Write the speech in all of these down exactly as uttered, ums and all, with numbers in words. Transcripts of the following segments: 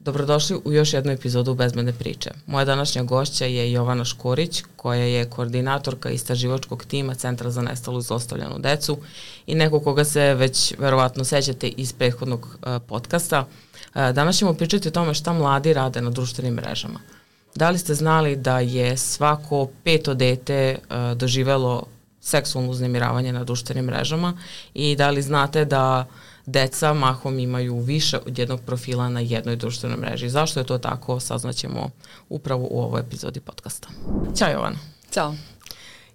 Dobrodošli u još jednu epizodu Bezbedne priče. Moja današnja gošća je Jovana Škorić, koja je koordinatorka istraživačkog tima Centra za nestalu i zlostavljanu decu i neko koga se već verovatno sećate iz prethodnog uh, podcasta. Uh, danas ćemo pričati o tome šta mladi rade na društvenim mrežama. Da li ste znali da je svako peto dete uh, doživelo seksualno uznemiravanje na društvenim mrežama i da li znate da deca mahom imaju više od jednog profila na jednoj društvenoj mreži. Zašto je to tako, saznaćemo upravo u ovoj epizodi podcasta. Ćao Jovana. Ćao.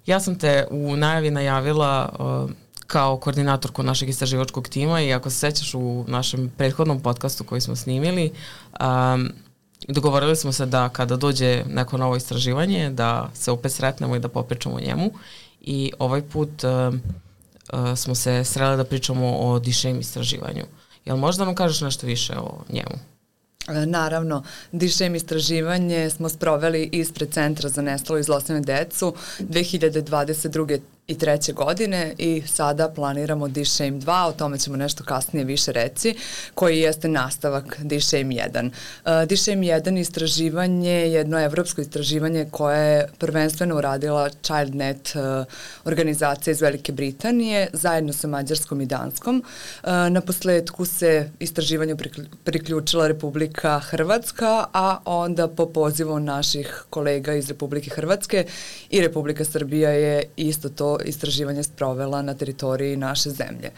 Ja sam te u najavi najavila uh, kao koordinatorku našeg istraživačkog tima i ako se sećaš u našem prethodnom podcastu koji smo snimili, um, dogovorili smo se da kada dođe neko novo istraživanje, da se opet sretnemo i da popričamo o njemu i ovaj put uh, Uh, smo se sreli da pričamo o D-Shame istraživanju. Jel možda nam kažeš nešto više o njemu? Naravno, D-Shame istraživanje smo sproveli ispred Centra za nestalu i zlostavljanu decu dve hiljade dvadeset druge i treće godine i sada planiramo D-Shame dva, o tome ćemo nešto kasnije više reći, koji jeste nastavak D-Shame jedan. Uh, D-Shame jedan istraživanje je jedno evropsko istraživanje koje je prvenstveno uradila ChildNet uh, organizacija iz Velike Britanije zajedno sa Mađarskom i Danskom. Uh, na posledku se istraživanju priključila Republika Hrvatska, a onda po pozivu naših kolega iz Republike Hrvatske i Republika Srbija je isto to istraživanje sprovela na teritoriji naše zemlje.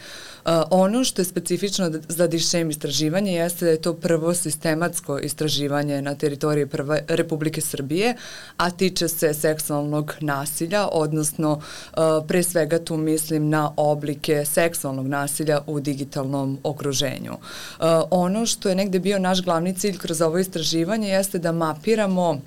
Uh, ono što je specifično za D-Shame istraživanje jeste da je to prvo sistematsko istraživanje na teritoriji prve Republike Srbije, a tiče se seksualnog nasilja, odnosno uh, pre svega tu mislim na oblike seksualnog nasilja u digitalnom okruženju. Uh, ono što je negde bio naš glavni cilj kroz ovo istraživanje jeste da mapiramo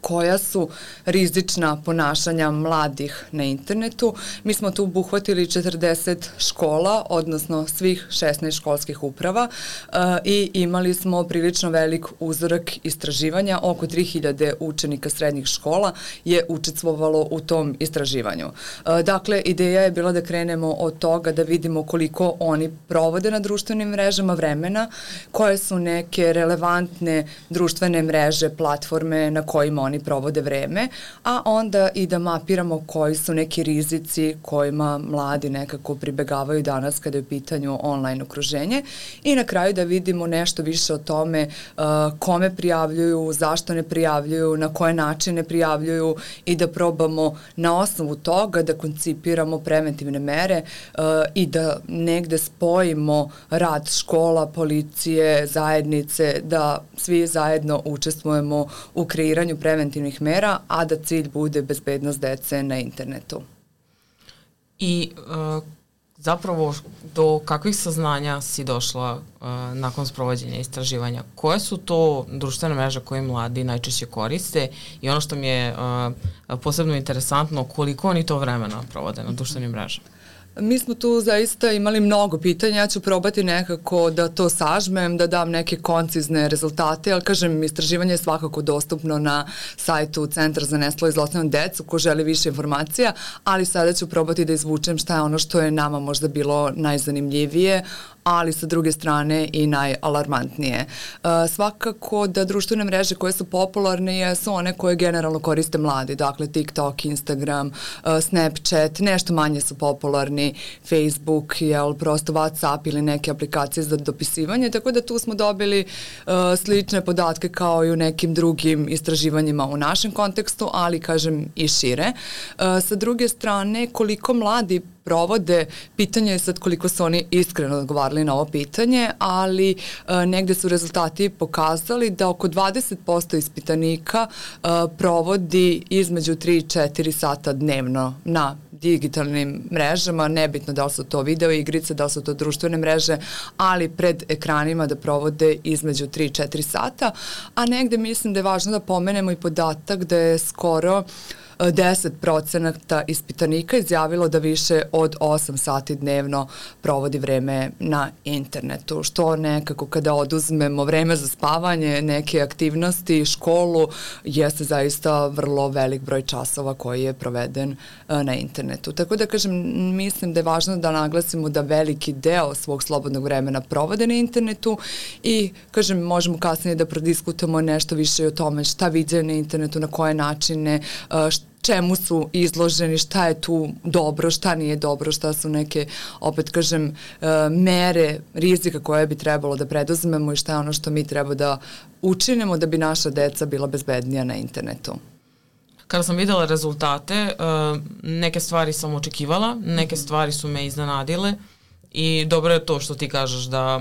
koja su rizična ponašanja mladih na internetu. Mi smo tu obuhvatili četrdeset škola, odnosno svih šesnaest školskih uprava uh, i imali smo prilično velik uzorak istraživanja. Oko tri hiljade učenika srednjih škola je učestvovalo u tom istraživanju. Uh, dakle, ideja je bila da krenemo od toga da vidimo koliko oni provode na društvenim mrežama vremena, koje su neke relevantne društvene mreže, platforme na kojima oni provode vreme, a onda i da mapiramo koji su neki rizici kojima mladi nekako pribegavaju danas kada je u pitanju online okruženje i na kraju da vidimo nešto više o tome uh, kome prijavljuju, zašto ne prijavljuju, na koje načine prijavljuju i da probamo na osnovu toga da koncipiramo preventivne mere uh, i da negde spojimo rad škola, policije, zajednice, da svi zajedno učestvujemo u kreiranju preventivnih mera, a da cilj bude bezbednost dece na internetu. I uh, zapravo do kakvih saznanja si došla uh, nakon sprovođenja istraživanja? Koje su to društvene mreže koje mladi najčešće koriste i ono što mi je uh, posebno interesantno, koliko oni to vremena provode na društvenim mrežama? Mi smo tu zaista imali mnogo pitanja, ja ću probati nekako da to sažmem, da dam neke koncizne rezultate, ali kažem, istraživanje je svakako dostupno na sajtu Centra za nestalu i zlostavljanu decu, ko želi više informacija, ali sada ću probati da izvučem šta je ono što je nama možda bilo najzanimljivije, ali sa druge strane i najalarmantnije. Uh, svakako da društvene mreže koje su popularne jesu one koje generalno koriste mladi, dakle TikTok, Instagram, uh, Snapchat, nešto manje su popularni, Facebook, jel, prosto WhatsApp ili neke aplikacije za dopisivanje, tako da tu smo dobili uh, slične podatke kao i u nekim drugim istraživanjima u našem kontekstu, ali kažem i šire. Uh, sa druge strane, koliko mladi provode, pitanje je sad koliko su oni iskreno odgovarali na ovo pitanje, ali e, negde su rezultati pokazali da oko dvadeset posto ispitanika e, provodi između tri i četiri sata dnevno na digitalnim mrežama, nebitno da li su to video igrice, da li su to društvene mreže, ali pred ekranima da provode između tri i četiri sata, a negde mislim da je važno da pomenemo i podatak da je skoro deset procenata ispitanika izjavilo da više od osam sati dnevno provodi vreme na internetu, što nekako kada oduzmemo vreme za spavanje, neke aktivnosti, školu, jeste zaista vrlo velik broj časova koji je proveden na internetu. Tako da kažem, mislim da je važno da naglasimo da veliki deo svog slobodnog vremena provode na internetu i kažem, možemo kasnije da prodiskutamo nešto više o tome šta viđaju na internetu, na koje načine, čemu su izloženi, šta je tu dobro, šta nije dobro, šta su neke, opet kažem, mere rizika koje bi trebalo da preduzmemo i šta je ono što mi treba da učinimo da bi naša deca bila bezbednija na internetu. Kada sam videla rezultate, neke stvari sam očekivala, neke stvari su me iznenadile i dobro je to što ti kažeš da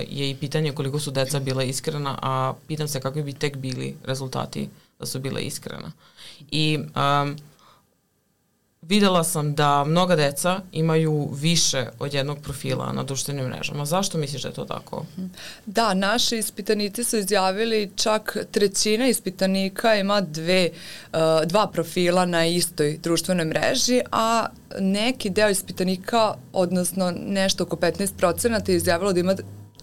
je i pitanje koliko su deca bila iskrena, a pitam se kakvi bi tek bili rezultati da su bile iskrena. I um, videla sam da mnoga deca imaju više od jednog profila na društvenim mrežama. Zašto misliš da je to tako? Da, naši ispitanici su izjavili, čak trećina ispitanika ima dve, uh, dva profila na istoj društvenoj mreži, a neki deo ispitanika, odnosno nešto oko petnaest procenata je izjavilo da ima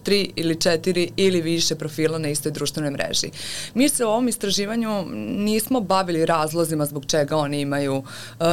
tri ili četiri ili više profila na istoj društvenoj mreži. Mi se u ovom istraživanju nismo bavili razlozima zbog čega oni imaju uh,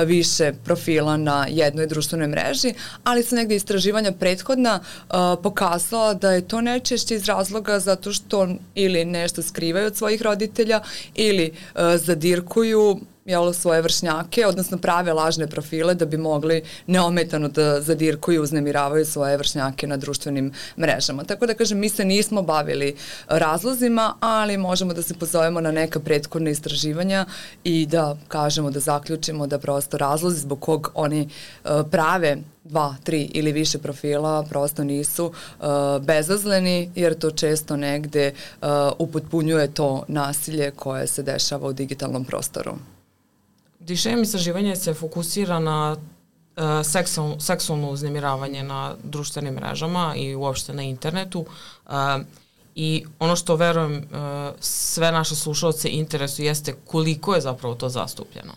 više profila na jednoj društvenoj mreži, ali su negde istraživanja prethodna uh, pokazala da je to najčešće iz razloga zato što ili nešto skrivaju od svojih roditelja ili uh, zadirkuju jel, svoje vršnjake, odnosno prave lažne profile da bi mogli neometano da zadirkuju i uznemiravaju svoje vršnjake na društvenim mrežama. Tako da kažem, mi se nismo bavili razlozima, ali možemo da se pozovemo na neka prethodna istraživanja i da kažemo, da zaključimo da prosto razlozi zbog kog oni uh, prave dva, tri ili više profila prosto nisu uh, bezazleni, jer to često negde uh, upotpunjuje to nasilje koje se dešava u digitalnom prostoru. Dišem istraživanje se fokusira na uh, seksual, seksualno uznemiravanje na društvenim mrežama i uopšte na internetu uh, i ono što verujem uh, sve naše slušalce interesuje jeste koliko je zapravo to zastupljeno.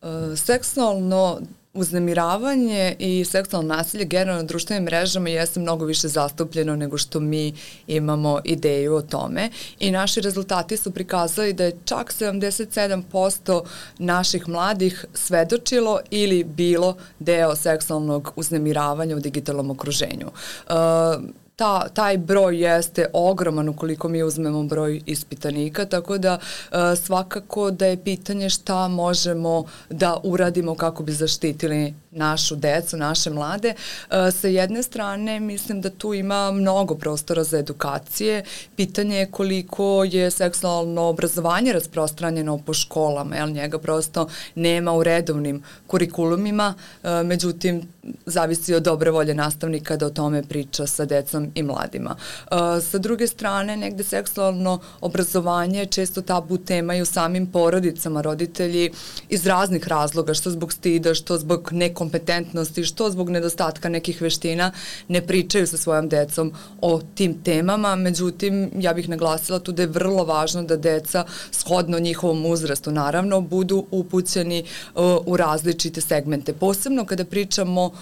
Uh, seksualno uznemiravanje i seksualno nasilje generalno na društvenim mrežama jeste mnogo više zastupljeno nego što mi imamo ideju o tome i naši rezultati su prikazali da je čak sedamdeset sedam posto naših mladih svedočilo ili bilo deo seksualnog uznemiravanja u digitalnom okruženju. Uh, Ta, taj broj jeste ogroman ukoliko mi uzmemo broj ispitanika, tako da uh, svakako da je pitanje šta možemo da uradimo kako bi zaštitili našu decu, naše mlade. Uh, sa jedne strane mislim da tu ima mnogo prostora za edukacije. Pitanje je koliko je seksualno obrazovanje rasprostranjeno po školama, jer njega prosto nema u redovnim kurikulumima, uh, međutim zavisi od dobre volje nastavnika da o tome priča sa decom i mladima. Uh, sa druge strane, negde seksualno obrazovanje je često tabu tema i u samim porodicama. Roditelji iz raznih razloga, što zbog stida, što zbog nekompetentnosti, što zbog nedostatka nekih veština, ne pričaju sa svojom decom o tim temama. Međutim, ja bih naglasila tu da je vrlo važno da deca, shodno njihovom uzrastu, naravno, budu upućeni uh, u različite segmente. Posebno kada pričamo uh,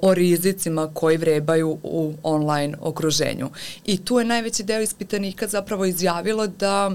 o rizicima koji vrebaju u online okruženju. I tu je najveći deo ispitanika zapravo izjavilo da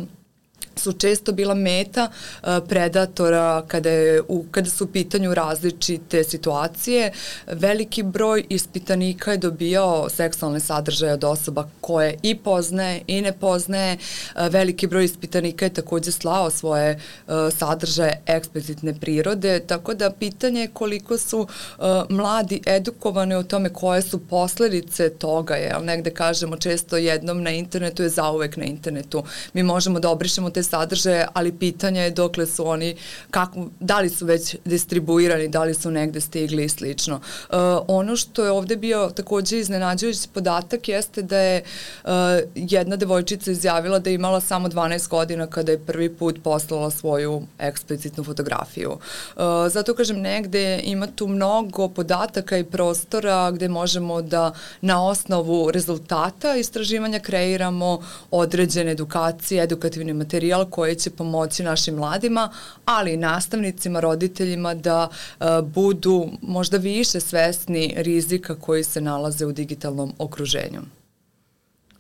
su često bila meta uh, predatora kada, je, u, kada su u pitanju različite situacije. Veliki broj ispitanika je dobijao seksualne sadržaje od osoba koje i poznaje i ne poznaje. Uh, veliki broj ispitanika je takođe slao svoje uh, sadržaje eksplicitne prirode, tako da pitanje je koliko su uh, mladi edukovani o tome koje su posledice toga, jel negde kažemo često jednom na internetu je zauvek na internetu. Mi možemo da obrišemo te sadržaje, ali pitanje je dokle su oni, kako, da li su već distribuirani, da li su negde stigli i slično. Uh, ono što je ovde bio takođe iznenađujući podatak jeste da je uh, jedna devojčica izjavila da je imala samo dvanaest godina kada je prvi put poslala svoju eksplicitnu fotografiju. Uh, zato kažem, negde ima tu mnogo podataka i prostora gde možemo da na osnovu rezultata istraživanja kreiramo određene edukacije, edukativni materijal materijal koji će pomoći našim mladima, ali i nastavnicima, roditeljima da uh, budu možda više svesni rizika koji se nalaze u digitalnom okruženju.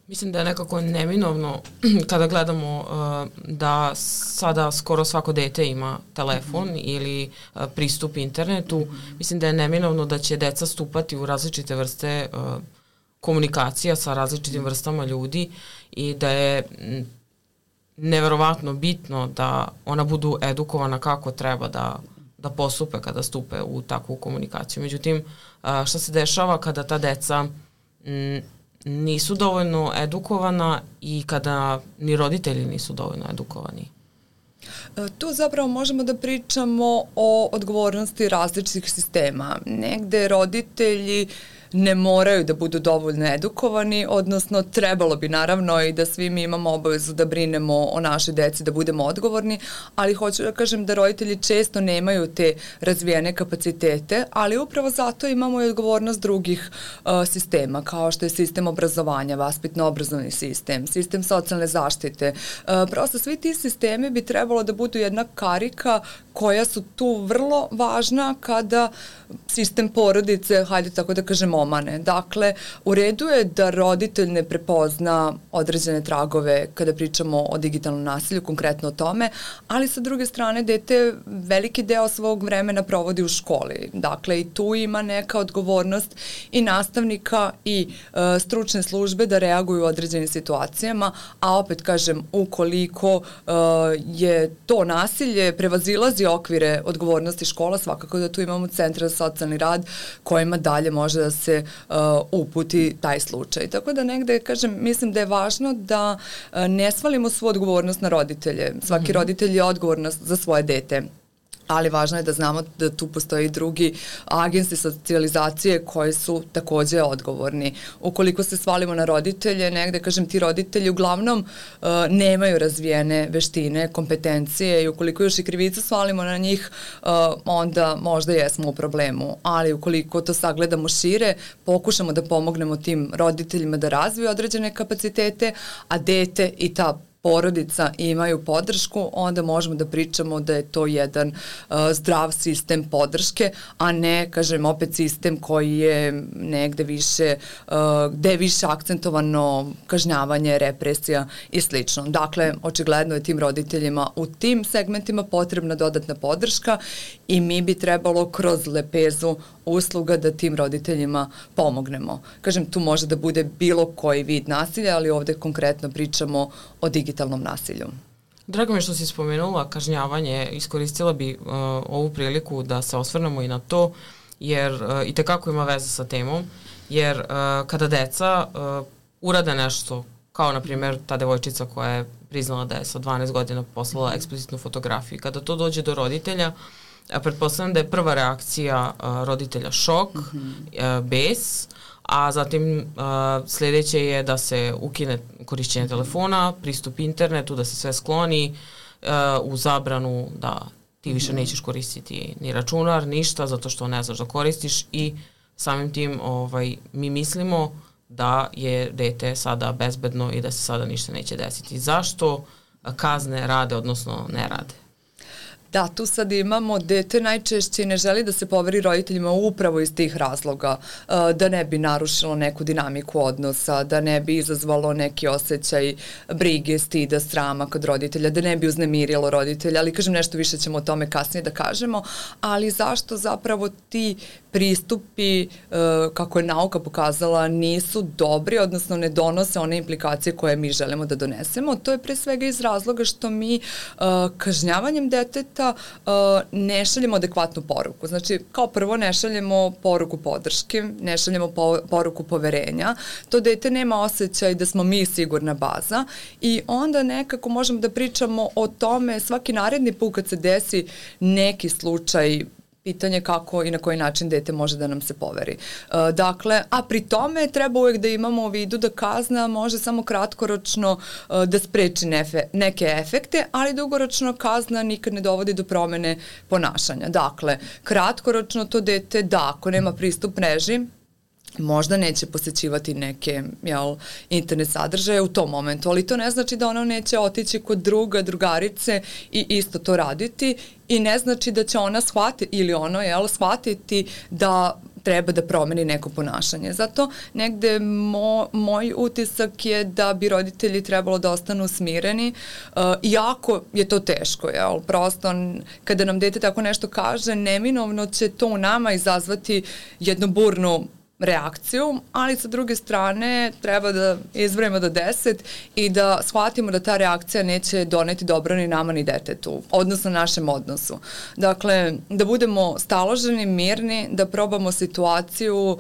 Mislim da je nekako neminovno kada gledamo uh, da sada skoro svako dete ima telefon mm-hmm. ili uh, pristup internetu. Mm-hmm. Mislim da je neminovno da će deca stupati u različite vrste uh, komunikacija sa različitim vrstama ljudi i da je neverovatno bitno da ona budu edukovana kako treba da, da postupe kada stupe u takvu komunikaciju. Međutim, uh, šta se dešava kada ta deca m, nisu dovoljno edukovana i kada ni roditelji nisu dovoljno edukovani? Tu zapravo možemo da pričamo o odgovornosti različitih sistema. Negde roditelji ne moraju da budu dovoljno edukovani, odnosno trebalo bi naravno i da svi mi imamo obavezu da brinemo o našoj deci, da budemo odgovorni, ali hoću da kažem da roditelji često nemaju te razvijene kapacitete, ali upravo zato imamo i odgovornost drugih uh, sistema, kao što je sistem obrazovanja, vaspitno-obrazovni sistem, sistem socijalne zaštite. Uh, prosto svi ti sistemi bi trebalo da budu jedna karika koja su tu vrlo važna kada sistem porodice, hajde tako da kažem, omane. Dakle, u redu je da roditelj ne prepozna određene tragove kada pričamo o digitalnom nasilju, konkretno o tome, ali sa druge strane dete veliki deo svog vremena provodi u školi. Dakle, i tu ima neka odgovornost i nastavnika i e, stručne službe da reaguju u određenim situacijama, a opet kažem, ukoliko e, je to nasilje prevazilazi okvire odgovornosti škola, svakako da tu imamo centra za socijalni rad kojima dalje može da se uh, uputi taj slučaj. Tako da negde, kažem, mislim da je važno da uh, ne svalimo svu odgovornost na roditelje. Svaki mm-hmm. roditelj je odgovoran za svoje dete. Ali važno je da znamo da tu postoji drugi agensi socijalizacije koji su takođe odgovorni. Ukoliko se svalimo na roditelje, negde, kažem, ti roditelji uglavnom uh, nemaju razvijene veštine, kompetencije i ukoliko još i krivicu svalimo na njih, uh, onda možda jesmo u problemu. Ali ukoliko to sagledamo šire, pokušamo da pomognemo tim roditeljima da razviju određene kapacitete, a dete i ta porodica imaju podršku, onda možemo da pričamo da je to jedan uh, zdrav sistem podrške, a ne, kažem, opet sistem koji je negde više, uh, gde je više akcentovano kažnjavanje, represija i slično. Dakle, očigledno je tim roditeljima u tim segmentima potrebna dodatna podrška i mi bi trebalo kroz lepezu usluga da tim roditeljima pomognemo. Kažem, tu može da bude bilo koji vid nasilja, ali ovde konkretno pričamo o digitalnom nasilju. Drago mi je što si spomenula kažnjavanje, iskoristila bi uh, ovu priliku da se osvrnemo i na to, jer uh, i tekako ima veze sa temom, jer uh, kada deca uh, urade nešto, kao na primjer ta devojčica koja je priznala da je sa dvanaest godina poslala eksplicitnu fotografiju, kada to dođe do roditelja, a pretpostavljam da je prva reakcija uh, roditelja šok, mm-hmm. uh, bes, a zatim uh, sljedeće je da se ukine korišćenje telefona, pristup internetu, da se sve skloni uh, u zabranu da ti više mm-hmm. nećeš koristiti ni računar, ništa, zato što ne znaš da koristiš i samim tim ovaj, mi mislimo da je dete sada bezbedno i da se sada ništa neće desiti. Zašto kazne rade, odnosno ne rade? Da, tu sad imamo dete najčešće ne želi da se poveri roditeljima upravo iz tih razloga, da ne bi narušilo neku dinamiku odnosa, da ne bi izazvalo neki osjećaj brige, stida, srama kod roditelja, da ne bi uznemirilo roditelja, ali kažem nešto više ćemo o tome kasnije da kažemo, ali zašto zapravo ti pristupi, kako je nauka pokazala, nisu dobri, odnosno ne donose one implikacije koje mi želimo da donesemo. To je pre svega iz razloga što mi kažnjavanjem deteta ne šaljemo adekvatnu poruku. Znači, kao prvo ne šaljemo poruku podrške, ne šaljemo po, poruku poverenja. To dete nema osjećaj da smo mi sigurna baza i onda nekako možemo da pričamo o tome svaki naredni put kad se desi neki slučaj, pitanje kako i na koji način dete može da nam se poveri. E, dakle, a pri tome treba uvek da imamo u vidu da kazna može samo kratkoročno e, da spreči nefe, neke efekte, ali dugoročno kazna nikad ne dovodi do promene ponašanja. Dakle, kratkoročno to dete da, ako nema pristup mreži, možda neće posećivati neke jel, internet sadržaje u tom momentu, ali to ne znači da ona neće otići kod druga, drugarice i isto to raditi i ne znači da će ona shvatiti ili ono jel, shvatiti da treba da promeni neko ponašanje. Zato negde mo, moj utisak je da bi roditelji trebalo da ostanu smireni, uh, iako je to teško, jel? Prosto kada nam dete tako nešto kaže, neminovno će to u nama izazvati jednu burnu reakciju, ali sa druge strane treba da izbrojimo do deset i da shvatimo da ta reakcija neće doneti dobro ni nama ni detetu, odnosno našem odnosu. Dakle, da budemo staloženi, mirni, da probamo situaciju,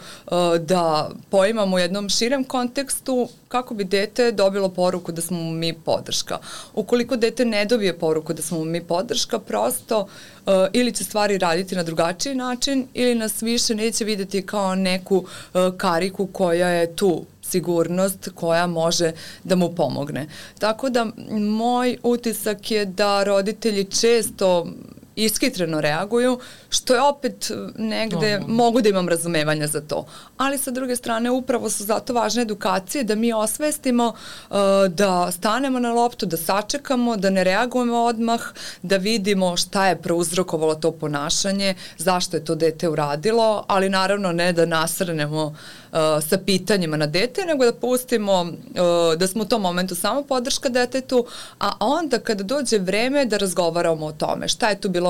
da poimamo u jednom širem kontekstu kako bi dete dobilo poruku da smo mu mi podrška. Ukoliko dete ne dobije poruku da smo mu mi podrška, prosto uh, ili će stvari raditi na drugačiji način ili nas više neće videti kao neku uh, kariku koja je tu sigurnost koja može da mu pomogne. Tako da moj utisak je da roditelji često iskitreno reaguju, što je opet negde, Dobro. mogu da imam razumevanja za to. Ali sa druge strane, upravo su zato važne edukacije, da mi osvestimo, uh, da stanemo na loptu, da sačekamo, da ne reagujemo odmah, da vidimo šta je prouzrokovalo to ponašanje, zašto je to dete uradilo, ali naravno ne da nasrnemo uh, sa pitanjima na dete, nego da pustimo uh, da smo u tom momentu samo podrška detetu, a onda kada dođe vreme da razgovaramo o tome, šta je tu bilo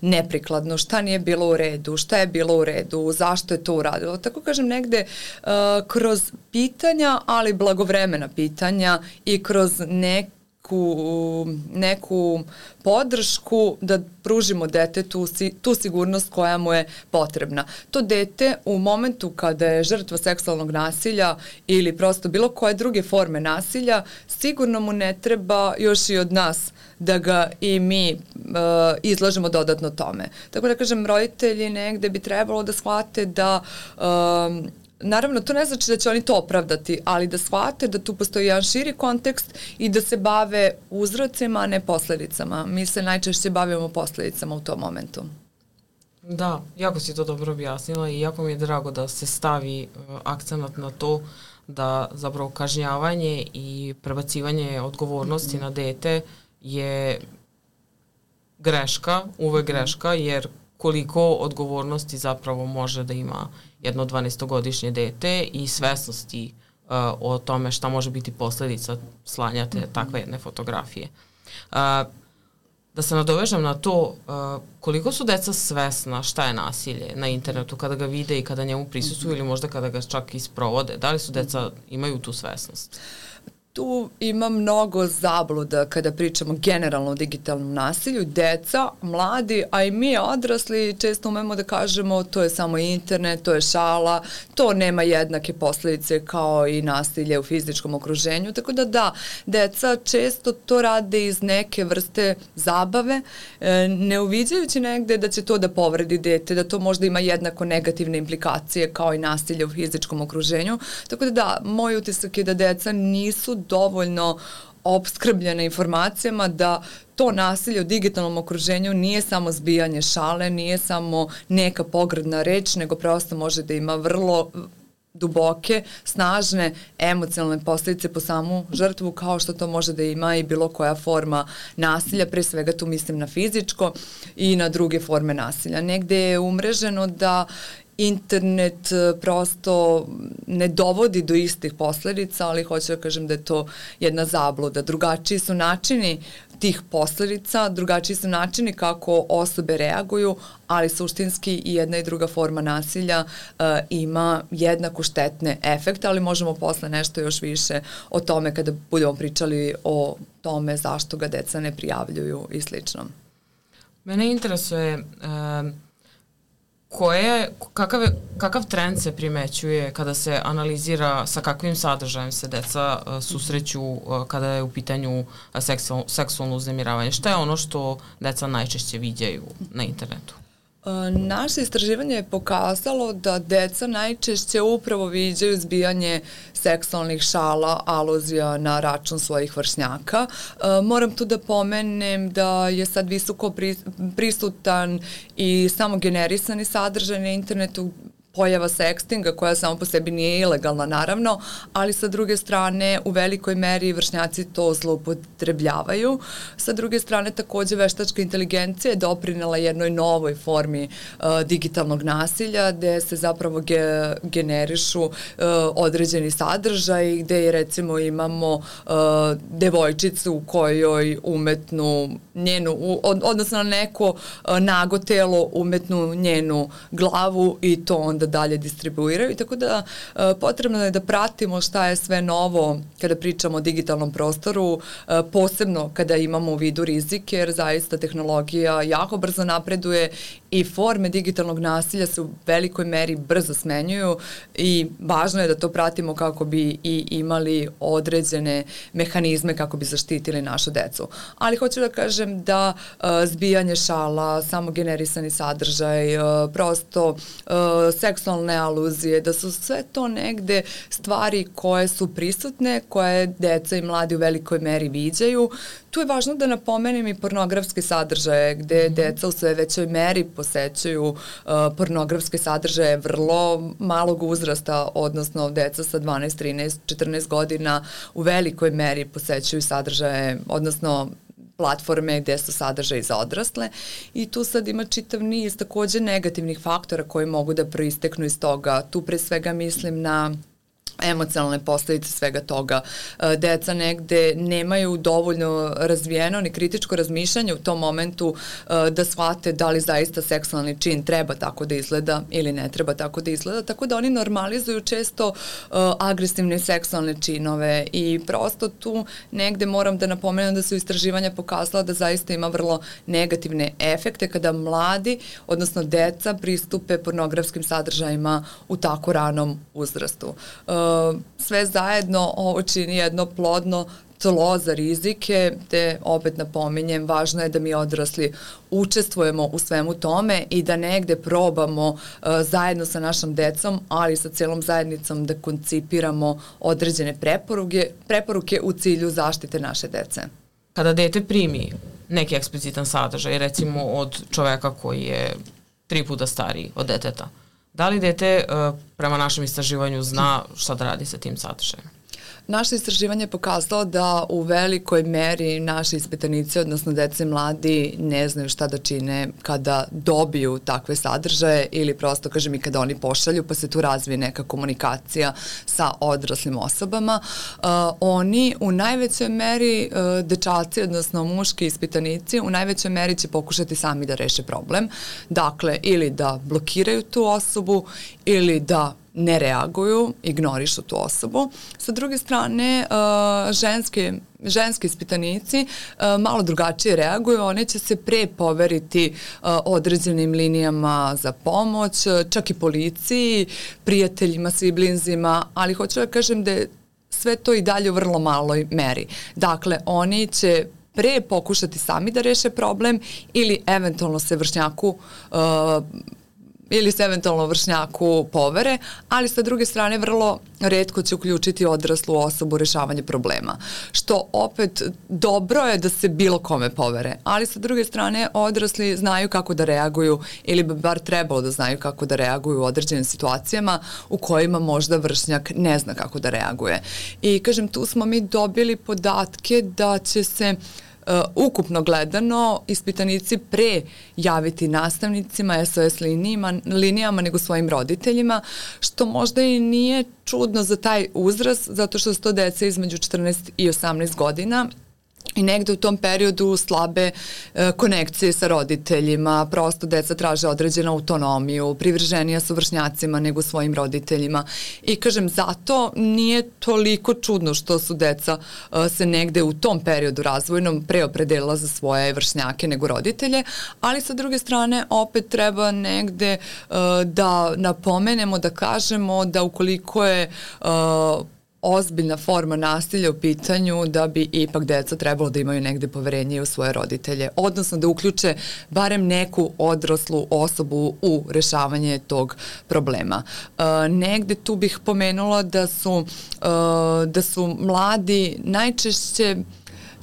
neprikladno, šta nije bilo u redu, šta je bilo u redu, zašto je to uradilo. Tako kažem negde uh, kroz pitanja, ali blagovremena pitanja i kroz neku, neku podršku da pružimo detetu tu sigurnost koja mu je potrebna. To dete u momentu kada je žrtva seksualnog nasilja ili prosto bilo koje druge forme nasilja, sigurno mu ne treba još i od nas da ga i mi uh, izlažemo dodatno tome. Tako da kažem, roditelji negde bi trebalo da shvate da um, naravno, to ne znači da će oni to opravdati, ali da shvate da tu postoji jedan širi kontekst i da se bave uzrocima, a ne posledicama. Mi se najčešće bavimo posledicama u tom momentu. Da, jako si to dobro objasnila i jako mi je drago da se stavi uh, akcenat na to da zapravo kažnjavanje i prebacivanje odgovornosti mm-hmm. na dete je greška, uvek greška, jer koliko odgovornosti zapravo može da ima jedno dvanaestogodišnje dete i svesnosti uh, o tome šta može biti posledica slanja te mm-hmm. takve jedne fotografije. Uh, da se nadovežem na to, uh, koliko su deca svesna šta je nasilje na internetu kada ga vide i kada njemu prisustvuju mm-hmm. ili možda kada ga čak i sprovode? Da li su deca, imaju tu svesnost? Tu ima mnogo zabluda kada pričamo generalno o digitalnom nasilju. Deca, mladi, a i mi odrasli često umemo da kažemo to je samo internet, to je šala, to nema jednake posledice kao i nasilje u fizičkom okruženju. Tako da da, deca često to rade iz neke vrste zabave, ne uviđajući negde da će to da povredi dete, da to možda ima jednako negativne implikacije kao i nasilje u fizičkom okruženju. Tako da da, moj utisak je da deca nisu dovoljno opskrbljene informacijama da to nasilje u digitalnom okruženju nije samo zbijanje šale, nije samo neka pogrdna reč, nego prosto može da ima vrlo duboke, snažne emocionalne posljedice po samu žrtvu, kao što to može da ima i bilo koja forma nasilja, pre svega tu mislim na fizičko i na druge forme nasilja. Negde je umreženo da internet prosto ne dovodi do istih posledica, ali hoću da kažem da je to jedna zabluda. Drugačiji su načini tih posledica, drugačiji su načini kako osobe reaguju, ali suštinski i jedna i druga forma nasilja uh, ima jednako štetne efekte, ali možemo posle nešto još više o tome kada budemo pričali o tome zašto ga deca ne prijavljuju i slično. Mene interesuje uh, Koje, kakav, kakav trend se primećuje kada se analizira sa kakvim sadržajem se deca uh, susreću uh, kada je u pitanju uh, seksual, seksualno uznemiravanje? Šta je ono što deca najčešće viđaju na internetu? Naše istraživanje je pokazalo da deca najčešće upravo viđaju zbijanje seksualnih šala, aluzija na račun svojih vršnjaka. Moram tu da pomenem da je sad visoko prisutan i samo generisani sadržaj na internetu, pojava sextinga koja samo po sebi nije ilegalna naravno, ali sa druge strane u velikoj meri vršnjaci to zloupotrebljavaju. Sa druge strane takođe veštačka inteligencija je doprinela jednoj novoj formi uh, digitalnog nasilja gde se zapravo ge, generišu uh, određeni sadržaj gde je recimo imamo uh, devojčicu u kojoj umetnu njenu, u, od, odnosno na neko uh, nago telo umetnu njenu glavu i to onda da dalje distribuiraju, tako da e, potrebno je da pratimo šta je sve novo kada pričamo o digitalnom prostoru, e, posebno kada imamo u vidu rizike, jer zaista tehnologija jako brzo napreduje i forme digitalnog nasilja se u velikoj meri brzo smenjuju i važno je da to pratimo kako bi i imali određene mehanizme kako bi zaštitili našu decu. Ali hoću da kažem da e, zbijanje šala, samogenerisani sadržaj, e, prosto e, seksualne aluzije, da su sve to negde stvari koje su prisutne, koje deca i mladi u velikoj meri viđaju. Tu je važno da napomenem i pornografske sadržaje, gde deca u sve većoj meri posećuju uh, pornografske sadržaje vrlo malog uzrasta, odnosno deca sa dvanaest, trinaest, četrnaest godina u velikoj meri posećuju sadržaje, odnosno platforme gde su sadržaji za odrasle i tu sad ima čitav niz takođe negativnih faktora koji mogu da proisteknu iz toga. Tu pre svega mislim na emocionalne posledice svega toga. Deca negde nemaju dovoljno razvijeno ni kritičko razmišljanje u tom momentu da shvate da li zaista seksualni čin treba tako da izgleda ili ne treba tako da izgleda, tako da oni normalizuju često agresivne seksualne činove i prosto tu negde moram da napomenem da su istraživanja pokazala da zaista ima vrlo negativne efekte kada mladi, odnosno deca pristupe pornografskim sadržajima u tako ranom uzrastu. Sve zajedno ovo čini jedno plodno tlo za rizike, te opet napominjem, važno je da mi odrasli učestvujemo u svemu tome i da negde probamo uh, zajedno sa našom decom, ali sa celom zajednicom da koncipiramo određene preporuke, preporuke u cilju zaštite naše dece. Kada dete primi neki eksplicitan sadržaj, recimo od čoveka koji je tri puta stariji od deteta, da li dete uh, prema našem istraživanju zna šta da radi sa tim sadržajem? Naše istraživanje je pokazalo da u velikoj meri naši ispitanici, odnosno deca i mladi, ne znaju šta da čine kada dobiju takve sadržaje ili prosto, kažem, i kada oni pošalju, pa se tu razvije neka komunikacija sa odraslim osobama. Uh, oni u najvećoj meri, uh, dečaci, odnosno muški ispitanici, u najvećoj meri će pokušati sami da reše problem. Dakle, ili da blokiraju tu osobu, ili da ne reaguju, ignorišu tu osobu. Sa druge strane, uh, ženske, ženski ispitanici uh, malo drugačije reaguju, one će se pre poveriti uh, određenim linijama za pomoć, čak i policiji, prijateljima, siblinzima, ali hoću da kažem da je sve to i dalje u vrlo maloj meri. Dakle, oni će pre pokušati sami da reše problem ili eventualno se vršnjaku uh, ili se eventualno vršnjaku povere, ali sa druge strane vrlo retko će uključiti odraslu osobu u rešavanje problema. Što opet dobro je da se bilo kome povere, ali sa druge strane odrasli znaju kako da reaguju ili bi bar trebalo da znaju kako da reaguju u određenim situacijama u kojima možda vršnjak ne zna kako da reaguje. I kažem, tu smo mi dobili podatke da će se Uh, ukupno gledano ispitanici pre javiti nastavnicima, S O S linijama, linijama nego svojim roditeljima, što možda i nije čudno za taj uzrast, zato što su to deca između četrnaest i osamnaest godina i negde u tom periodu slabe e, konekcije sa roditeljima, prosto deca traže određenu autonomiju, privrženija su vršnjacima nego svojim roditeljima i kažem zato nije toliko čudno što su deca e, se negde u tom periodu razvojnom preopredelila za svoje vršnjake nego roditelje, ali sa druge strane opet treba negde e, da napomenemo, da kažemo da ukoliko je e, ozbiljna forma nasilja u pitanju da bi ipak deca trebalo da imaju negde poverenje u svoje roditelje, odnosno da uključe barem neku odraslu osobu u rešavanje tog problema. Uh, negde tu bih pomenula da su, uh, da su mladi najčešće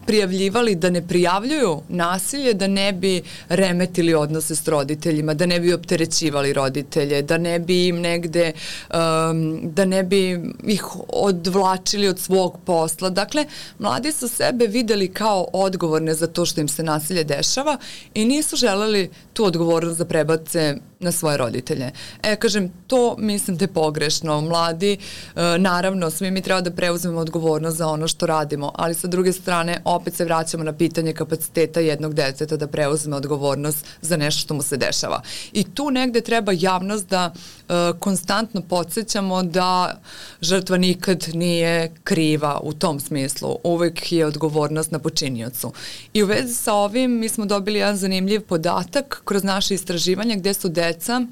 prijavljivali da ne prijavljuju nasilje, da ne bi remetili odnose s roditeljima, da ne bi opterećivali roditelje, da ne bi im negde, um, da ne bi ih odvlačili od svog posla. Dakle, mladi su sebe videli kao odgovorne za to što im se nasilje dešava i nisu želeli tu odgovornost da prebace na svoje roditelje. E, kažem, to mislim da je pogrešno. Mladi, e, naravno, svi mi treba da preuzmemo odgovornost za ono što radimo, ali sa druge strane opet se vraćamo na pitanje kapaciteta jednog deteta da preuzme odgovornost za nešto što mu se dešava. I tu negde treba javnost da e, konstantno podsjećamo da žrtva nikad nije kriva u tom smislu. Uvek je odgovornost na počiniocu. I u vezi sa ovim mi smo dobili jedan zanimljiv podatak kroz naše istraživanje gde su deca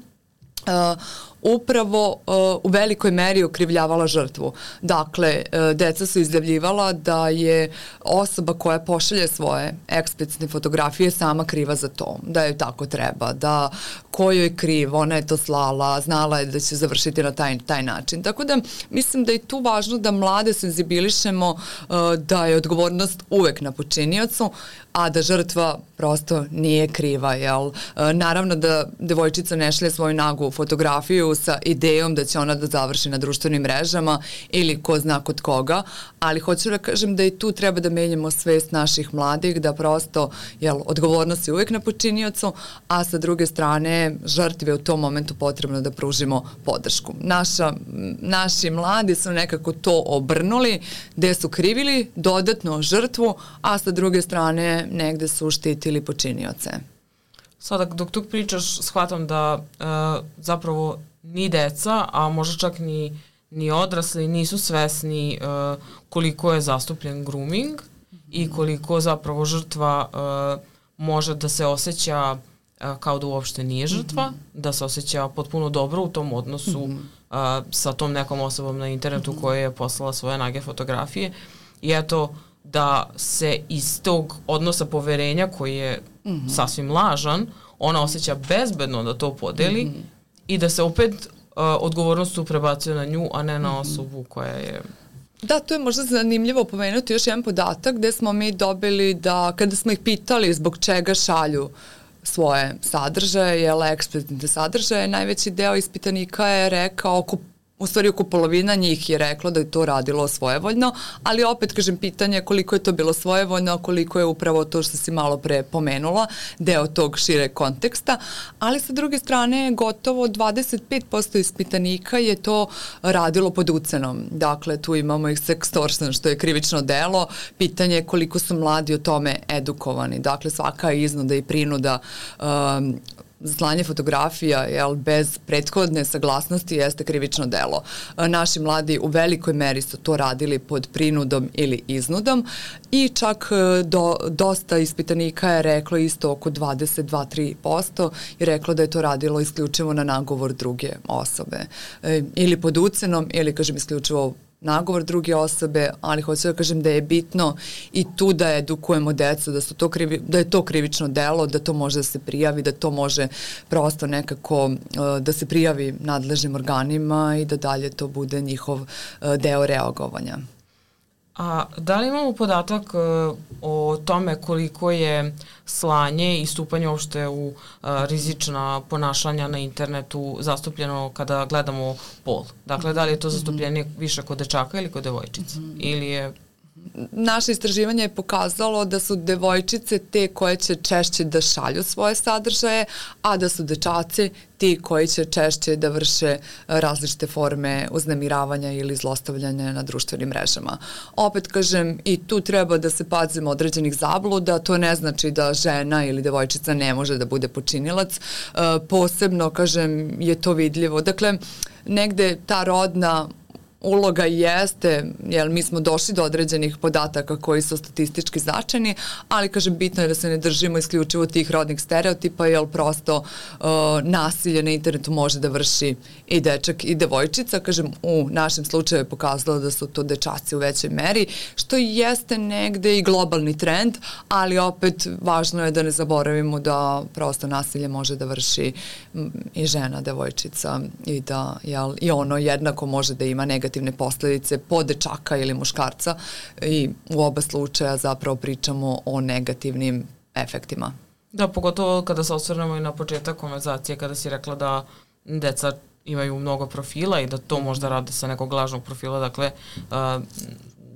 Uh, upravo uh, u velikoj meri okrivljavala žrtvu. Dakle, uh, deca su izjavljivala da je osoba koja pošalje svoje eksplicitne fotografije sama kriva za to, da je tako treba, da ko joj je kriv, ona je to slala, znala je da će završiti na taj, taj način. Tako da mislim da je tu važno da mlade senzibilišemo uh, da je odgovornost uvek na počiniocu, a da žrtva prosto nije kriva, jel? E, naravno da devojčica ne šalje svoju nagu fotografiju sa idejom da će ona da završi na društvenim mrežama ili ko zna kod koga, ali hoću da kažem da i tu treba da menjamo svest naših mladih, da prosto, jel, odgovornost je uvek na počiniocu, a sa druge strane žrtvi je u tom momentu potrebno da pružimo podršku. Naša, naši mladi su nekako to obrnuli, gde su krivili dodatno žrtvu, a sa druge strane negde su štitili počinioce. Sada dok tu pričaš, shvatam da e, zapravo ni deca, a možda čak ni, ni odrasli nisu svesni e, koliko je zastupljen grooming mm-hmm. i koliko zapravo žrtva e, može da se osjeća e, kao da uopšte nije žrtva, mm-hmm. da se osjeća potpuno dobro u tom odnosu mm-hmm. e, sa tom nekom osobom na internetu mm-hmm. koja je poslala svoje nage fotografije i eto da se iz tog odnosa poverenja koji je mm-hmm. sasvim lažan, ona osjeća bezbedno da to podeli mm-hmm. i da se opet uh, odgovornost tu prebacuje na nju, a ne na mm-hmm. osobu koja je... Da, to je možda zanimljivo pomenuti još jedan podatak gde smo mi dobili da kada smo ih pitali zbog čega šalju svoje sadržaje, jel, eksplicitne sadržaje, najveći deo ispitanika je rekao oko U stvari oko polovina njih je reklo da je to radilo svojevoljno, ali opet kažem pitanje koliko je to bilo svojevoljno, a koliko je upravo to što si malo pre pomenula, deo tog šire konteksta, ali sa druge strane gotovo dvadeset pet posto ispitanika je to radilo pod ucenom. Dakle, tu imamo ih sextortion, što je krivično delo, pitanje je koliko su mladi o tome edukovani. Dakle, svaka iznuda i prinuda um, slanje fotografija, jel, bez prethodne saglasnosti jeste krivično delo. Naši mladi u velikoj meri su to radili pod prinudom ili iznudom i čak do, dosta ispitanika je reklo isto oko dvadeset dva do tri posto i reklo da je to radilo isključivo na nagovor druge osobe. E, ili pod ucenom ili, kažem, isključivo nagovor druge osobe, ali hoću da kažem da je bitno i tu da edukujemo decu, da, su to krivi, da je to krivično delo, da to može da se prijavi, da to može prosto nekako uh, da se prijavi nadležnim organima i da dalje to bude njihov uh, deo reagovanja. A da li imamo podatak uh, o tome koliko je slanje i stupanje uopšte u uh, rizična ponašanja na internetu zastupljeno kada gledamo pol? Dakle, da li je to zastupljenje više kod dečaka ili kod devojčica? Mm-hmm. Ili je... Naše istraživanje je pokazalo da su devojčice te koje će češće da šalju svoje sadržaje, a da su dečaci ti koji će češće da vrše različite forme uznemiravanja ili zlostavljanja na društvenim mrežama. Opet kažem, i tu treba da se pazimo određenih zabluda, to ne znači da žena ili devojčica ne može da bude počinilac, posebno, kažem, je to vidljivo. Dakle, negde ta rodna uloga jeste, jer mi smo došli do određenih podataka koji su statistički značajni, ali, kažem, bitno je da se ne držimo isključivo tih rodnih stereotipa, jer prosto uh, nasilje na internetu može da vrši i dečak i devojčica. Kažem, u našem slučaju je pokazalo da su to dečaci u većoj meri, što jeste negde i globalni trend, ali opet važno je da ne zaboravimo da prosto nasilje može da vrši i žena, devojčica i da, jel, i ono jednako može da ima negativno negativne posledice po dečaka ili muškarca i u oba slučaja zapravo pričamo o negativnim efektima. Da, pogotovo kada se osvrnemo i na početak konverzacije, kada si rekla da deca imaju mnogo profila i da to možda rade sa nekog lažnog profila, dakle uh,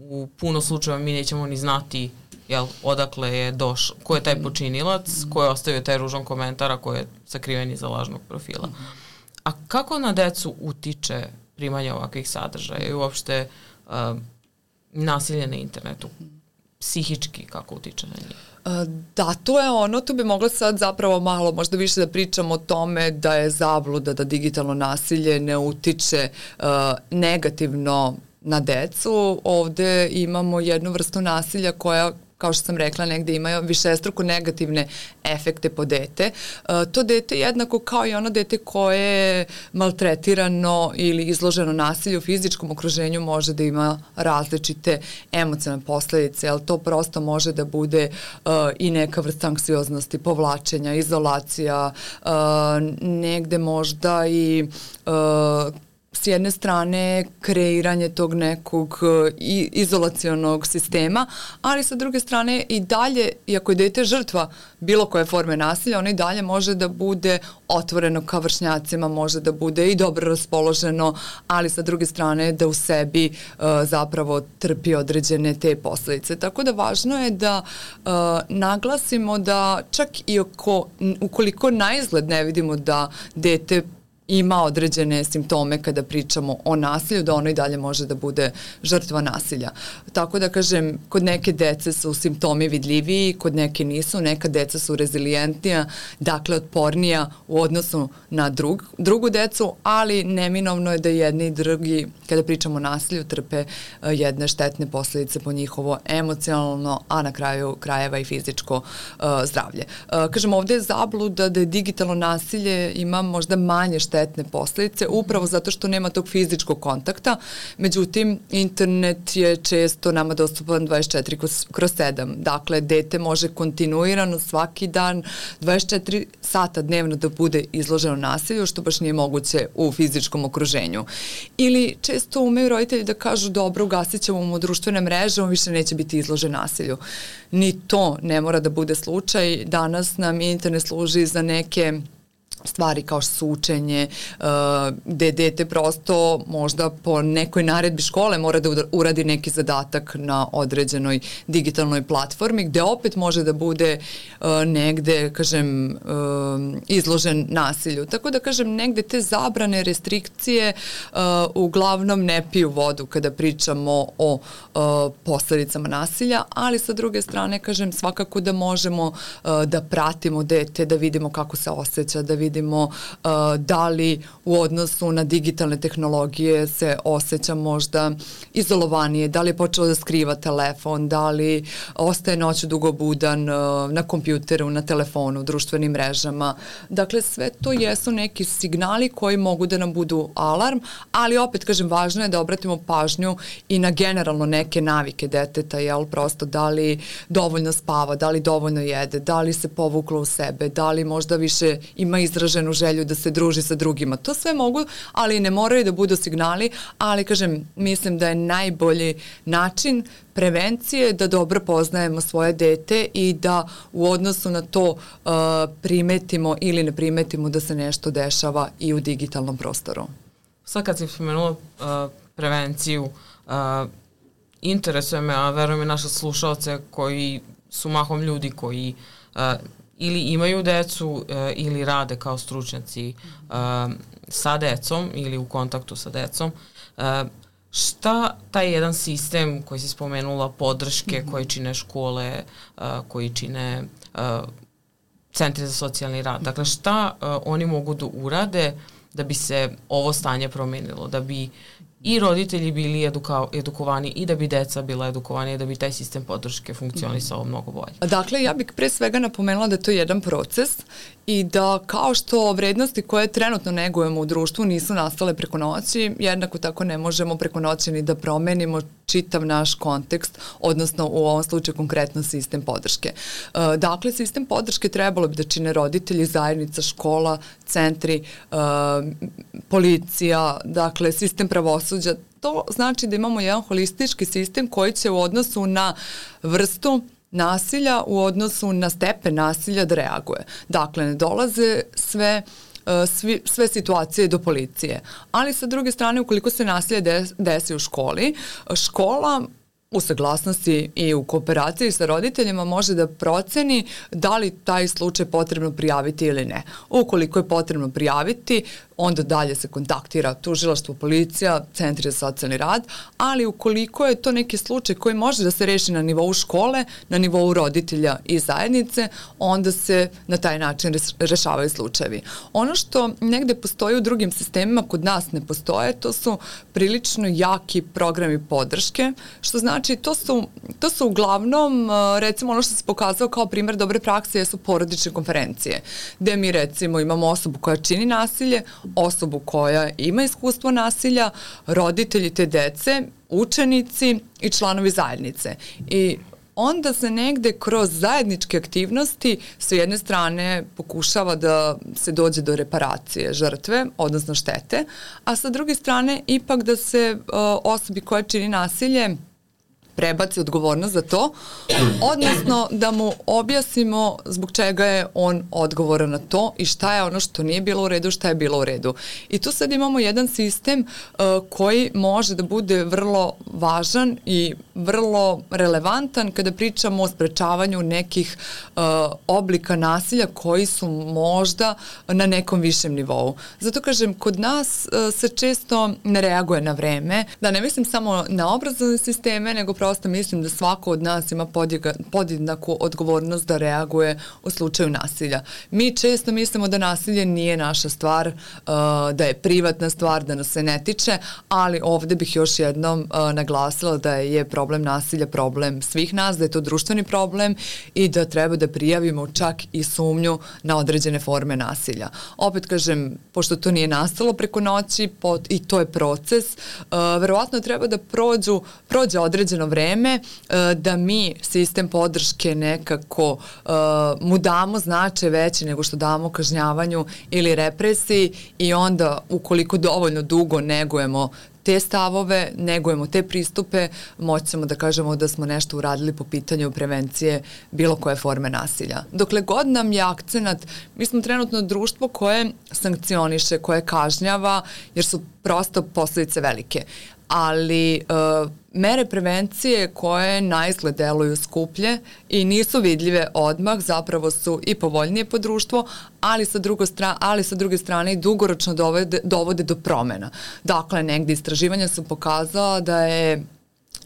u puno slučajeva mi nećemo ni znati jel, odakle je došao, ko je taj počinilac, ko je ostavio taj ružan komentar, a ko je sakriven iza lažnog profila. A kako na decu utiče primanje ovakvih sadržaja i uopšte uh, nasilje na internetu? Psihički kako utiče na njih? Da, to je ono, tu bi mogla sad zapravo malo možda više da pričamo o tome da je zabluda da digitalno nasilje ne utiče uh, negativno na decu. Ovde imamo jednu vrstu nasilja koja, kao što sam rekla, negde imaju višestruko negativne efekte po dete. E, to dete jednako kao i ono dete koje je maltretirano ili izloženo nasilju u fizičkom okruženju može da ima različite emocionalne posledice, ali to prosto može da bude e, i neka vrsta anksioznosti, povlačenja, izolacija, e, negde možda i e, s jedne strane kreiranje tog nekog izolacionog sistema, ali sa druge strane i dalje, iako je dete žrtva bilo koje forme nasilja, ono i dalje može da bude otvoreno ka vršnjacima, može da bude i dobro raspoloženo, ali sa druge strane da u sebi uh, zapravo trpi određene te posledice. Tako da važno je da uh, naglasimo da čak i oko, ukoliko na izgled ne vidimo da dete ima određene simptome kada pričamo o nasilju, da ono i dalje može da bude žrtva nasilja. Tako da kažem, kod neke dece su simptomi vidljiviji, kod neke nisu, neka deca su rezilijentnija, dakle otpornija u odnosu na drug, drugu decu, ali neminovno je da jedni i drugi, kada pričamo o nasilju, trpe uh, jedne štetne posledice po njihovo emocionalno, a na kraju krajeva i fizičko uh, zdravlje. Uh, kažem, ovde je zabluda da je digitalno nasilje ima možda manje štetne posledice, upravo zato što nema tog fizičkog kontakta. Međutim, internet je često nama dostupan dvadeset četiri kroz sedam. Dakle, dete može kontinuirano svaki dan dvadeset četiri sata dnevno da bude izloženo nasilju, što baš nije moguće u fizičkom okruženju. Ili često umeju roditelji da kažu dobro, ugasit ćemo mu društvene mreže, on više neće biti izložen nasilju. Ni to ne mora da bude slučaj. Danas nam internet služi za neke stvari kao što su učenje, uh, gde dete prosto možda po nekoj naredbi škole mora da uradi neki zadatak na određenoj digitalnoj platformi, gde opet može da bude uh, negde, kažem, uh, izložen nasilju. Tako da, kažem, negde te zabrane, restrikcije uh, uglavnom ne piju vodu kada pričamo o uh, posledicama nasilja, ali sa druge strane, kažem, svakako da možemo uh, da pratimo dete, da vidimo kako se osjeća, da vidimo vidimo uh, da li u odnosu na digitalne tehnologije se osjeća možda izolovanije, da li je počelo da skriva telefon, da li ostaje noću dugo budan uh, na kompjuteru, na telefonu, društvenim mrežama. Dakle, sve to jesu neki signali koji mogu da nam budu alarm, ali opet, kažem, važno je da obratimo pažnju i na generalno neke navike deteta, jel, prosto da li dovoljno spava, da li dovoljno jede, da li se povuklo u sebe, da li možda više ima izraženu želju da se druži sa drugima. To sve mogu, ali ne moraju da budu signali, ali, kažem, mislim da je najbolji način prevencije da dobro poznajemo svoje dete i da u odnosu na to uh, primetimo ili ne primetimo da se nešto dešava i u digitalnom prostoru. Sad kad si spomenula uh, prevenciju, uh, interesuje me, a verujem i naše slušalce koji su mahom ljudi koji uh, ili imaju decu uh, ili rade kao stručnjaci uh, sa decom ili u kontaktu sa decom. Uh, šta taj jedan sistem koji si spomenula, podrške mm-hmm. koji čine škole, uh, koji čine uh, centri za socijalni rad, dakle šta uh, oni mogu da urade da bi se ovo stanje promenilo, da bi i roditelji bili eduka, edukovani i da bi deca bila edukovani i da bi taj sistem podrške funkcionisao mnogo bolje. Dakle, ja bih pre svega napomenula da to je jedan proces i da kao što vrednosti koje trenutno negujemo u društvu nisu nastale preko noći, jednako tako ne možemo preko noći ni da promenimo čitav naš kontekst, odnosno u ovom slučaju konkretno sistem podrške. Dakle, sistem podrške trebalo bi da čine roditelji, zajednica, škola, centri, policija, dakle, sistem pravosuđa. to znači da imamo jedan holistički sistem koji će u odnosu na vrstu nasilja, u odnosu na stepen nasilja da reaguje. Dakle, ne dolaze sve Svi, sve situacije do policije. Ali sa druge strane, ukoliko se nasilje des, desi u školi, škola u saglasnosti i u kooperaciji sa roditeljima može da proceni da li taj slučaj potrebno prijaviti ili ne. Ukoliko je potrebno prijaviti, onda dalje se kontaktira tužilaštvo, policija, centri za socijalni rad, ali ukoliko je to neki slučaj koji može da se reši na nivou škole, na nivou roditelja i zajednice, onda se na taj način rešavaju slučajevi. Ono što negde postoji u drugim sistemima, kod nas ne postoje, to su prilično jaki programi podrške, što znači to su, to su uglavnom, recimo ono što se pokazao kao primer dobre prakse jesu porodične konferencije, gde mi recimo imamo osobu koja čini nasilje, osobu koja ima iskustvo nasilja, roditelji te dece, učenici i članovi zajednice. I onda se negde kroz zajedničke aktivnosti s jedne strane pokušava da se dođe do reparacije žrtve, odnosno štete, a sa druge strane ipak da se uh, osobi koja čini nasilje prebaci odgovornost za to, odnosno da mu objasnimo zbog čega je on odgovoran na to i šta je ono što nije bilo u redu, šta je bilo u redu. I tu sad imamo jedan sistem uh, koji može da bude vrlo važan i vrlo relevantan kada pričamo o sprečavanju nekih uh, oblika nasilja koji su možda na nekom višem nivou. Zato kažem, kod nas uh, se često ne reaguje na vreme, da ne mislim samo na obrazovne sisteme, nego prosto mislim da svako od nas ima podjednaku odgovornost da reaguje u slučaju nasilja. Mi često mislimo da nasilje nije naša stvar, da je privatna stvar, da nas se ne tiče, ali ovde bih još jednom naglasila da je problem nasilja problem svih nas, da je to društveni problem i da treba da prijavimo čak i sumnju na određene forme nasilja. Opet kažem, pošto to nije nastalo preko noći i to je proces, verovatno treba da prođu, prođe određeno vreme da mi sistem podrške nekako uh, mu damo značaj veći nego što damo kažnjavanju ili represiji i onda ukoliko dovoljno dugo negujemo te stavove, negujemo te pristupe, moćemo da kažemo da smo nešto uradili po pitanju prevencije bilo koje forme nasilja. Dokle god nam je akcenat, mi smo trenutno društvo koje sankcioniše, koje kažnjava, jer su prosto posledice velike. Ali uh, mere prevencije koje na izgled deluju skuplje i nisu vidljive odmah, zapravo su i povoljnije po društvo, ali sa, drugo stra, ali sa druge strane i dugoročno dovode, dovode do promena. Dakle, negdje istraživanja su pokazala da je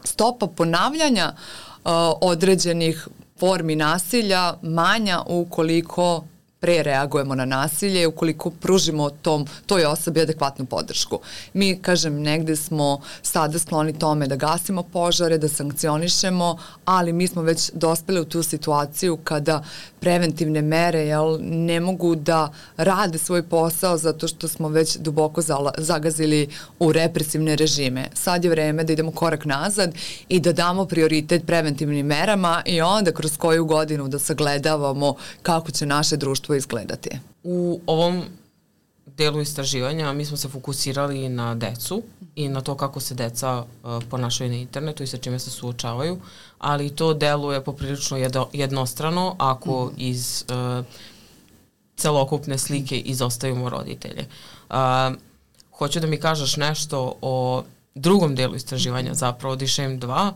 stopa ponavljanja uh, određenih formi nasilja manja ukoliko pre reagujemo na nasilje, ukoliko pružimo tom, toj osobi adekvatnu podršku. Mi, kažem, negde smo sada skloni tome da gasimo požare, da sankcionišemo, ali mi smo već dospeli u tu situaciju kada preventivne mere jel, ne mogu da rade svoj posao zato što smo već duboko zagazili u represivne režime. Sad je vreme da idemo korak nazad i da damo prioritet preventivnim merama i onda kroz koju godinu da sagledavamo kako će naše društvo izgledati. U ovom delu istraživanja mi smo se fokusirali na decu i na to kako se deca uh, ponašaju na internetu i sa čime se suočavaju, ali to deluje poprilično jedno, jednostrano ako mm. iz uh, celokupne slike izostavimo roditelje. Uh, hoću da mi kažeš nešto o drugom delu istraživanja, zapravo D SHAME dva,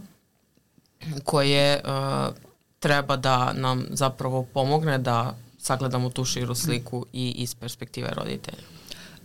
koje uh, treba da nam zapravo pomogne da sagledamo tu širu sliku i iz perspektive roditelja.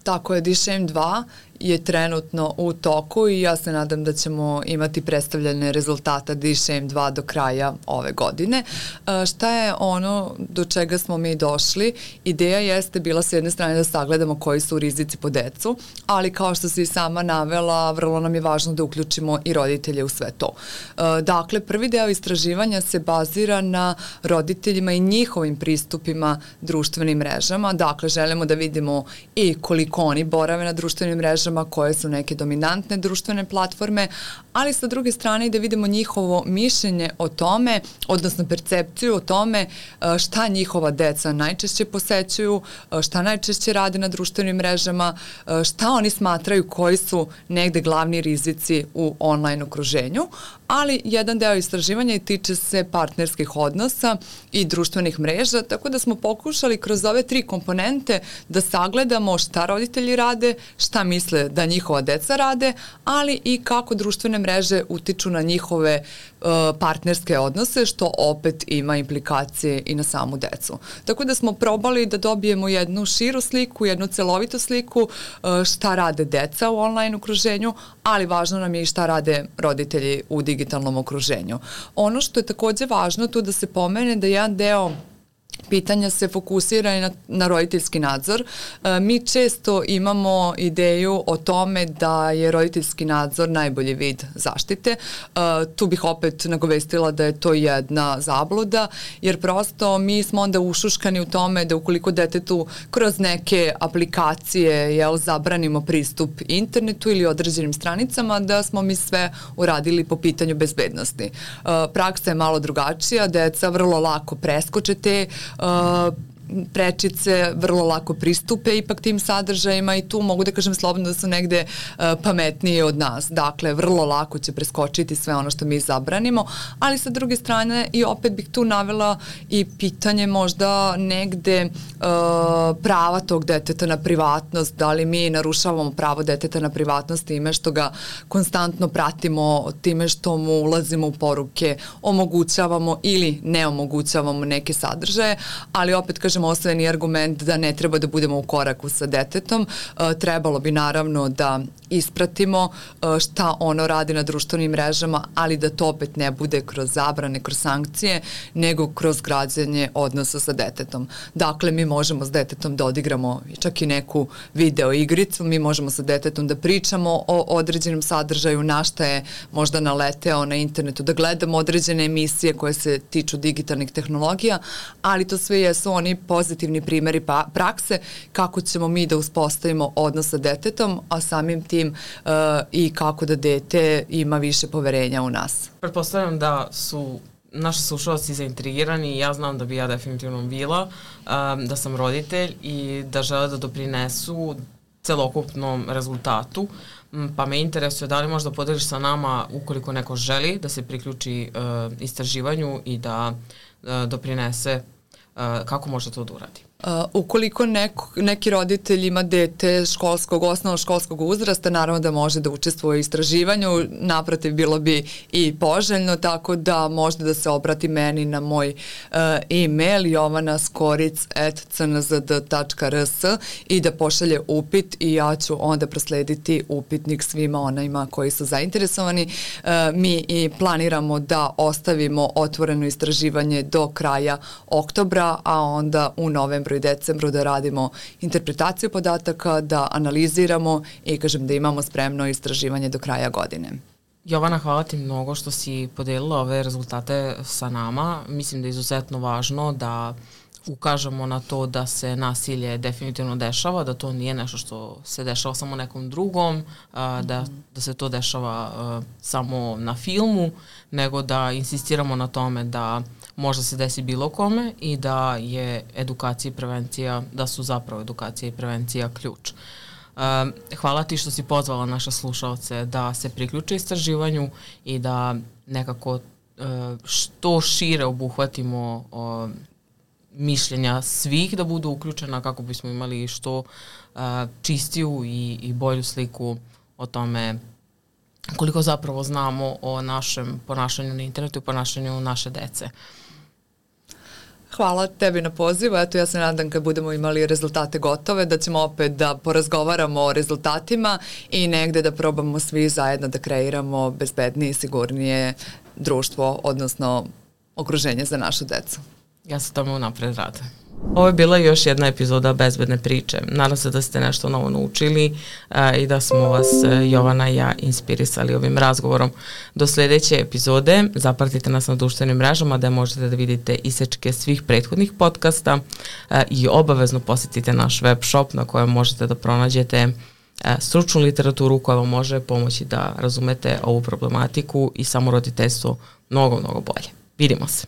Tako je, D SHAME dva je trenutno u toku i ja se nadam da ćemo imati predstavljene rezultata D SHAME dva do kraja ove godine. E, šta je ono do čega smo mi došli? Ideja jeste bila s jedne strane da sagledamo koji su rizici po decu, ali kao što si i sama navela, vrlo nam je važno da uključimo i roditelje u sve to. E, dakle, prvi deo istraživanja se bazira na roditeljima i njihovim pristupima društvenim mrežama. Dakle, želimo da vidimo i koliko oni borave na društvenim mrežama, mrežama, koje su neke dominantne društvene platforme, ali sa druge strane i da vidimo njihovo mišljenje o tome, odnosno percepciju o tome šta njihova deca najčešće posećuju, šta najčešće rade na društvenim mrežama, šta oni smatraju koji su negde glavni rizici u online okruženju, ali jedan deo istraživanja i tiče se partnerskih odnosa i društvenih mreža, tako da smo pokušali kroz ove tri komponente da sagledamo šta roditelji rade, šta misle da njihova deca rade, ali i kako društvene mreže utiču na njihove uh, partnerske odnose, što opet ima implikacije i na samu decu. Tako da smo probali da dobijemo jednu širu sliku, jednu celovitu sliku uh, šta rade deca u online okruženju, ali važno nam je i šta rade roditelji u digitalnom okruženju. Ono što je takođe važno tu da se pomene da jedan deo pitanja se fokusira i na, na roditeljski nadzor. E, mi često imamo ideju o tome da je roditeljski nadzor najbolji vid zaštite. E, tu bih opet nagovestila da je to jedna zabluda, jer prosto mi smo onda ušuškani u tome da ukoliko detetu kroz neke aplikacije jel, zabranimo pristup internetu ili određenim stranicama, da smo mi sve uradili po pitanju bezbednosti. E, praksa je malo drugačija, deca vrlo lako preskoče te Uh, prečice, vrlo lako pristupe ipak tim sadržajima i tu mogu da kažem slobodno da su negde uh, pametnije od nas. Dakle, vrlo lako će preskočiti sve ono što mi zabranimo, ali sa druge strane i opet bih tu navela i pitanje možda negde uh, prava tog deteta na privatnost, da li mi narušavamo pravo deteta na privatnost time što ga konstantno pratimo, time što mu ulazimo u poruke, omogućavamo ili ne omogućavamo neke sadržaje, ali opet kažem osnovni argument da ne treba da budemo u koraku sa detetom. E, trebalo bi naravno da ispratimo e, šta ono radi na društvenim mrežama, ali da to opet ne bude kroz zabrane, kroz sankcije, nego kroz građenje odnosa sa detetom. Dakle, mi možemo s detetom da odigramo čak i neku video igricu, mi možemo sa detetom da pričamo o određenom sadržaju, na šta je možda naleteo na internetu, da gledamo određene emisije koje se tiču digitalnih tehnologija, ali to sve jesu oni pozitivni primjeri pa, prakse kako ćemo mi da uspostavimo odnos sa detetom, a samim tim uh, i kako da dete ima više poverenja u nas. Pretpostavljam da su naši slušalci zaintrigirani i ja znam da bi ja definitivno bila, um, da sam roditelj i da žele da doprinesu celokupnom rezultatu, pa me interesuje da li možda podeliš sa nama ukoliko neko želi da se priključi uh, istraživanju i da uh, doprinese, uh, kako može to da uradi? Uh, ukoliko neko, neki roditelj ima dete školskog, osnovno školskog uzrasta, naravno da može da učestvuje u istraživanju, naprotiv bilo bi i poželjno, tako da možda da se obrati meni na moj uh, e-mail jovana skoric at c n z d tačka r s i da pošalje upit i ja ću onda proslediti upitnik svima onima koji su zainteresovani. Uh, mi i planiramo da ostavimo otvoreno istraživanje do kraja oktobra, a onda u novembru i decembru da radimo interpretaciju podataka, da analiziramo i kažem da imamo spremno istraživanje do kraja godine. Jovana, hvala ti mnogo što si podelila ove rezultate sa nama. Mislim da je izuzetno važno da ukažemo na to da se nasilje definitivno dešava, da to nije nešto što se dešava samo nekom drugom, a, da, da se to dešava a, samo na filmu, nego da insistiramo na tome da možda se desi bilo kome i da je edukacija i prevencija, da su zapravo edukacija i prevencija ključ. Um, hvala ti što si pozvala naše slušalce da se priključe istraživanju i da nekako uh, što šire obuhvatimo uh, mišljenja svih da budu uključena kako bismo imali što uh, čistiju i, i bolju sliku o tome koliko zapravo znamo o našem ponašanju na internetu i ponašanju naše dece. Hvala tebi na pozivu. Eto, ja se nadam kad budemo imali rezultate gotove da ćemo opet da porazgovaramo o rezultatima i negde da probamo svi zajedno da kreiramo bezbednije i sigurnije društvo, odnosno okruženje za našu decu. Ja se tome unapred radujem. Ovo je bila još jedna epizoda Bezbedne priče. Nadam se da ste nešto novo naučili a, i da smo vas Jovana i ja inspirisali ovim razgovorom. Do sljedeće epizode zapratite nas na društvenim mrežama da možete da vidite isečke svih prethodnih podcasta a, i obavezno posjetite naš web shop na kojem možete da pronađete e, stručnu literaturu koja vam može pomoći da razumete ovu problematiku i samo roditeljstvo mnogo, mnogo bolje. Vidimo se.